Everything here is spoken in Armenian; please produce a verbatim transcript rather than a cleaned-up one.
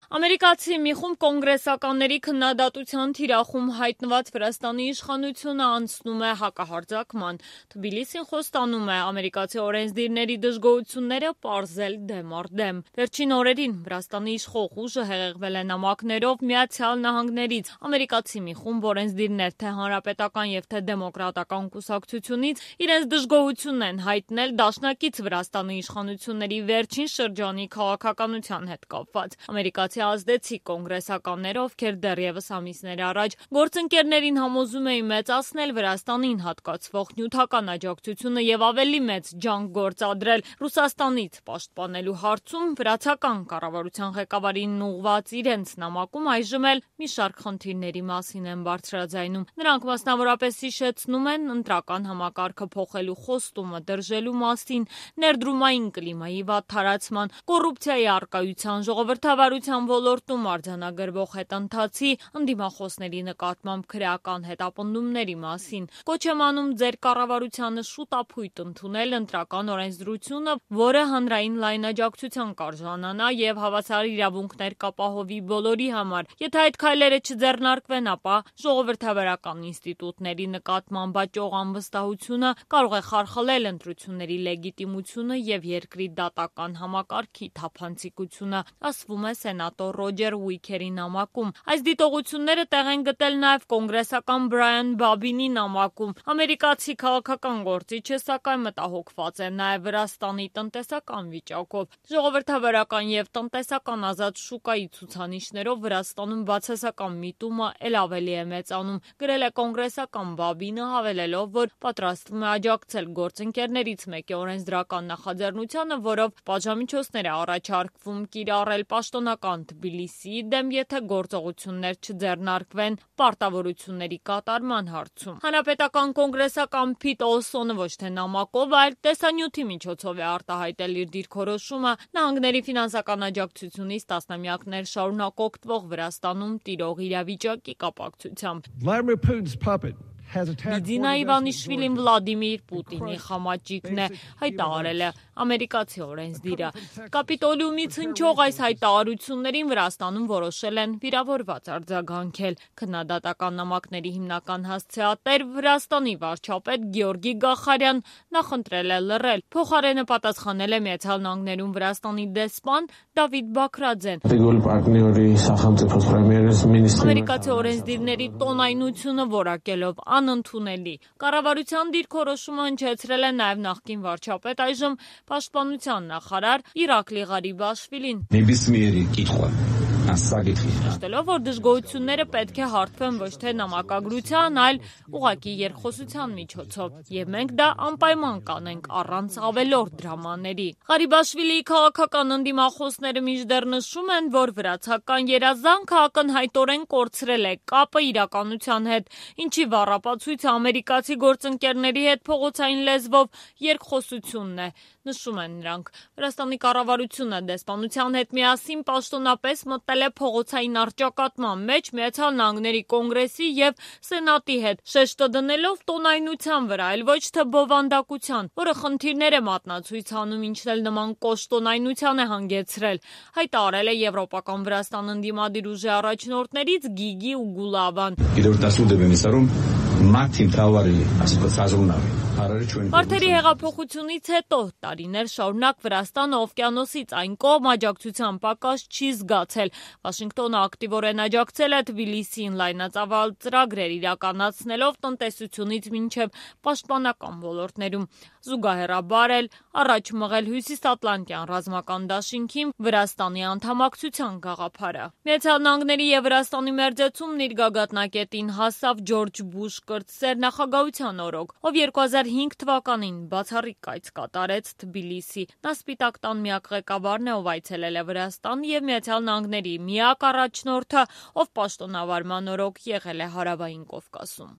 Ամերիկացի մի խումբ կոնգրեսականների քննադատության թիրախում հայտնված Վրաստանի իշխանությունը անցնում է հակահարձակման։ Թբիլիսին խոստանում է ամերիկացի օրենսդիրների դժգոհությունները պարզել դեմ առ դեմ։ Վերջին օրերին Վրաստանի իշխող ուժը հեղեղվել է նամակներով Միացյալ Նահանգներից։ Ամերիկացի մի խումբ օրենսդիրներ թե հանրապետական եւ թե դեմոկրատական կուսակցությունից իրենց դժգոհությունն են հայտնել դաշնակից Վրաստանի իշխանությունների վերջին շրջանի քաղաքականության հետ կապված։ Ամերիկացի ազդեցիկ կոնգրեսականները, ովքեր դեռևս ամիսներ առաջ գործընկերներին համոզում էին մեծացնել Վրաստանին հատկացվող նյութական աջակցությունը եւ ավելի մեծ ջանք գործադրել Ռուսաստանից պաշտպանելու հարցում, վրացական կառավարության ղեկավարին ուղղված իրենց նամակում այժմ էլ մի շարք խնդիրների մասին են բարձրաձայնում։ Նրանք մասնավորապես հիշեցնում են ընտրական համակարգը փոխելու խոստումը դրժելու մասին, ներդրումային կլիմայի վատ թարացման, կոռուպցիայի առկայության, ժողովրդավարության ոլորտում արձանագրվող հետընթացի, ընդդիմախոսների նկատմամբ քրեական հետապնդումների մասին։ Կոչ եմ անում ձեր կառավարությանը շուտափույթ ընդունել ընտրական օրենսդրությունը, որը հանրային լայն աջակցության կարժանանա եւ հավասար իրավունքներ կապահովի բոլորի համար։ Եթե այդ քայլերը չձեռնարկվեն, ապա ժողովրդավարական ինստիտուտների նկատմամբ աճող անվստահությունը կարող է խարխլել ընտրությունների լեգիտիմությունը եւ երկրի դատական համակարգի թափանցիկությունը, ասվում է սենատոր Ռոջեր Ուիքերի նամակում։ Այս դիտողությունները տեղ են գտել նաև կոնգրեսական Բրայան Բաբինի նամակում։ Ամերիկացի քաղաքական գործիչը սակայն մտահոգված է նաև Վրաստանի տնտեսական վիճակով։ Ժողովրդավարական եւ տնտեսական ազատ շուկայի ցուցանիշներով Վրաստանում բացասական միտումը ել ավելի է մեծանում, գրել է կոնգրեսական Բաբինը, հավելելով, որ պատրաստվում է աջակցել գործընկերներից մեկի օրենսդրական նախաձեռնությանը, որով պատժամիջոցներ է առաջարկվում կիրառել պաշտոնական Թբիլիսիի դեմ, եթե գործողություններ չձեռնարկվեն պարտավորությունների կատարման հարցում։ Հանրապետական կոնգրեսական Փիտ Օլսոնը ոչ թե նամակով, այլ տեսանյութի միջոցով է արտահայտել իր դիրքորոշումը նահանգների ֆինանսական աջակցությունից տասնամյակներ շարունակ օգտվող Վրաստանում տիրող իրավիճակի կապակցությամբ։ Միդինա Իվանիշվիլին Վլադիմիր Պուտինի խամաճիկն է, հայտարարել է ամերիկացի օրենսդիրը։ Կապիտոլիումից հնչող այս հայտարարություններին Վրաստանում որոշել են վիրավորված արձագանքել։ Քննադատական նամակների հիմնական հասցեատեր Վրաստանի վարչապետ Գեորգի Գախարյան նախընտրել է լռել։ Փոխարենը պատասխանել է Միացյալ Նահանգներում Վրաստանի դեսպան Դավիթ Բաքրաձեն։ Ամերիկացի օրենսդիրների տոնայնությունը որակելով անընդունելի։ Կառավարության դիրքորոշումը հնչեցրել է նաև նախկին վարչապետ, այժմ պաշտպանության նախարար Իրակլի Ղարիբաշվիլին։ Նշելով, որ դժգոհությունները պետք է հարթվեն ոչ թե նամակագրության, այլ ուղղակի երկխոսության միջոցով, եւ մենք դա անպայման կանենք առանց ավելորդ դրամաների։ Ղարիբաշվիլիի քաղաքական ընդդիմախոսները մինչդեռ նշում են, որ վրացական երազանքը ակնհայտորեն կորցրել է կապը իրականության հետ, ինչի վառապացույցը ամերիկացի գործընկերների հետ փողոցային լեզվով երկխոսությունն է, նշում են նրանք։ Վրաստանի կառավարությունը դեսպանության հետ միասին պաշտոնապես մտել է փողոցային առճակատման մեջ Միացյալ Նահանգների կոնգրեսի եւ սենատի հետ, շեշտը դնելով տոնայնության վրա, այլ ոչ թե բովանդակության, որը խնդիրներ է մատնացույց անում, ինչն էլ նման կոշտ տոնայնության է հանգեցրել, հայտարարել է Եվրոպական Վրաստան ընդդիմադիր ուժի առաջնորդներից Գիգի Ուգուլավան։ Վարդերի հեղափոխությունից հետո տարիներ շարունակ Վրաստանը օվկիանոսից այն կողմ աջակցության պակաս չի զգացել։ Վաշինգտոնը ակտիվորեն աջակցել է Թբիլիսիին լայնածավալ ծրագրեր իրականացնելով տնտեսությունից մինչև պաշտպանական ոլորտներում։ Զուգահեռաբար էլ առաջ մղել Հյուսիսատլանտյան ռազմական դաշինքին Վրաստանի անդամակցության գաղափարը։ Միացյալ Նահանգների եւ Վրաստանի մերձեցումն իր գագաթնակետին հասավ Ջորջ Բուշ կրտսեր նախագահության օրոք, ով երկու հազար հինգ թվականին բացառիկ կայց կատարեց Թբիլիսի։ Նա Սպիտակ տան միակ ղեկավարն է, ով այցելել է Վրաստան եւ Միացյալ Նահանգների միակ առաջնորդը, ով պաշտոնավարման օրոք եղել է Հարավային Կովկասում։